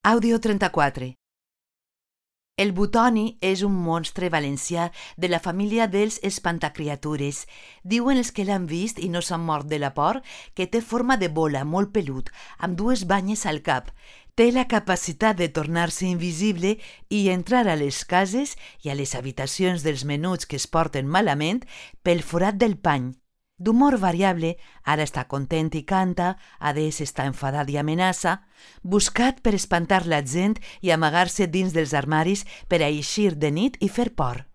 Àudio 34. El Butoni és un monstre valencià de la família dels espantacriatures. Diuen els que l'han vist i no s'han mort de la por que té forma de bola molt pelut, amb dues banyes al cap. Té la capacitat de tornar-se invisible i entrar a les cases i a les habitacions dels menuts que es porten malament pel forat del pany. D'humor variable, ara està content i canta, adés està enfadat i amenaça, buscat per espantar la gent i amagar-se dins dels armaris per a eixir de nit i fer por.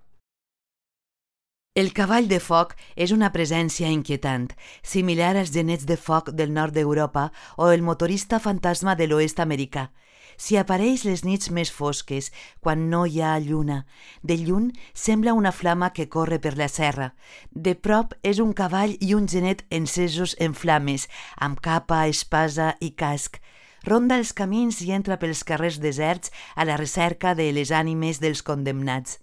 El cavall de foc és una presència inquietant, similar als genets de foc del nord d'Europa o el motorista fantasma de l'oest americà. Si apareix les nits més fosques, quan no hi ha lluna, de lluny sembla una flama que corre per la serra. De prop és un cavall i un genet encesos en flames, amb capa, espasa i casc. Ronda els camins i entra pels carrers deserts a la recerca de les ànimes dels condemnats.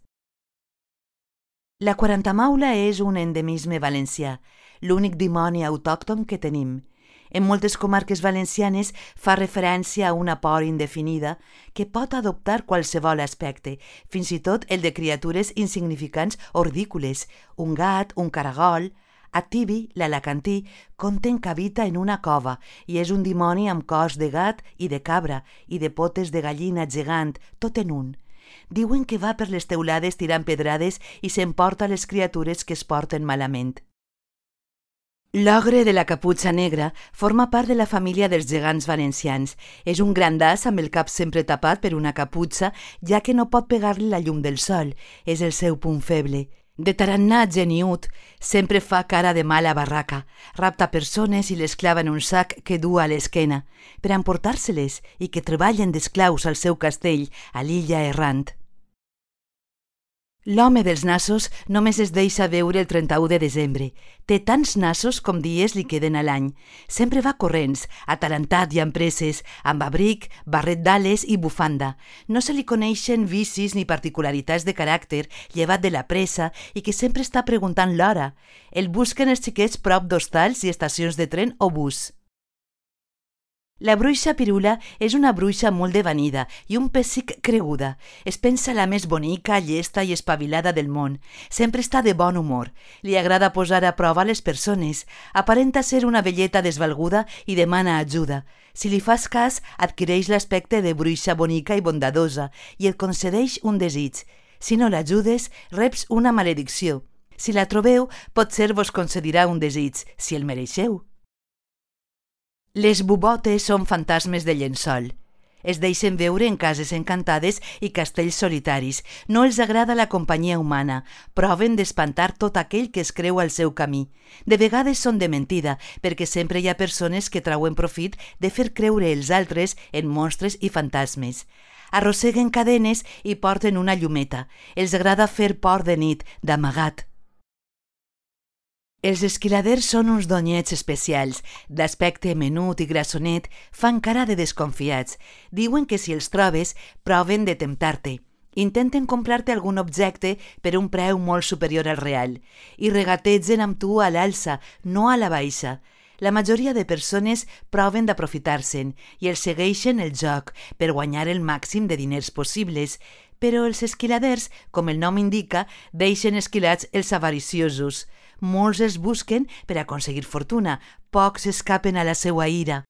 La quarantamaula és un endemisme valencià, l'únic dimoni autòcton que tenim. En moltes comarques valencianes fa referència a una por indefinida que pot adoptar qualsevol aspecte, fins i tot el de criatures insignificants o ridícules. Un gat, un caragol. A Tibi, l'alacantí, conten que habita en una cova i és un dimoni amb cos de gat i de cabra i de potes de gallina gegant, tot en un. Diuen que va per les teulades tirant pedrades i s'emporta les criatures que es porten malament. L'ogre de la caputxa negra forma part de la família dels gegants valencians. És un grandàs amb el cap sempre tapat per una caputxa, ja que no pot pegar-li la llum del sol. És el seu punt feble. De tarannà geniut, sempre fa cara de mala barraca. Rapta persones i les clava en un sac que du a l'esquena, per emportar-se-les i que treballen d'esclaus al seu castell, a l'illa errant. L'home dels nassos només es deixa veure el 31 de desembre. Té tants nassos com dies li queden a l'any. Sempre va corrents, atalantat i amb presses, amb abric, barret d'ales i bufanda. No se li coneixen vicis ni particularitats de caràcter, llevat de la pressa i que sempre està preguntant l'hora. El busquen els xiquets prop d'hostals i estacions de tren o bus. La bruixa Pirula és una bruixa molt devanida i un pessic creguda. Es pensa la més bonica, llesta i espavilada del món. Sempre està de bon humor. Li agrada posar a prova les persones. Aparenta ser una velleta desvalguda i demana ajuda. Si li fas cas, adquireix l'aspecte de bruixa bonica i bondadosa i et concedeix un desig. Si no l'ajudes, reps una maledicció. Si la trobeu, potser vos concedirà un desig, si el mereixeu. Les bubotes són fantasmes de llençol. Es deixen veure en cases encantades i castells solitaris. No els agrada la companyia humana. Proven d'espantar tot aquell que es creu al seu camí. De vegades són de mentida, perquè sempre hi ha persones que trauen profit de fer creure els altres en monstres i fantasmes. Arrosseguen cadenes i porten una llumeta. Els agrada fer por de nit, d'amagat. Els esquiladers són uns donyets especials, d'aspecte menut i grassonet, fan cara de desconfiats. Diuen que si els trobes, proven de temptar-te. Intenten comprar-te algun objecte per un preu molt superior al real i regategen amb tu a l'alça, no a la baixa. La majoria de persones proven d'aprofitar-se'n i els segueixen el joc per guanyar el màxim de diners possibles, però els esquiladers, com el nom indica, deixen esquilats els avariciosos. Molts els busquen per aconseguir fortuna, pocs escapen a la seua ira.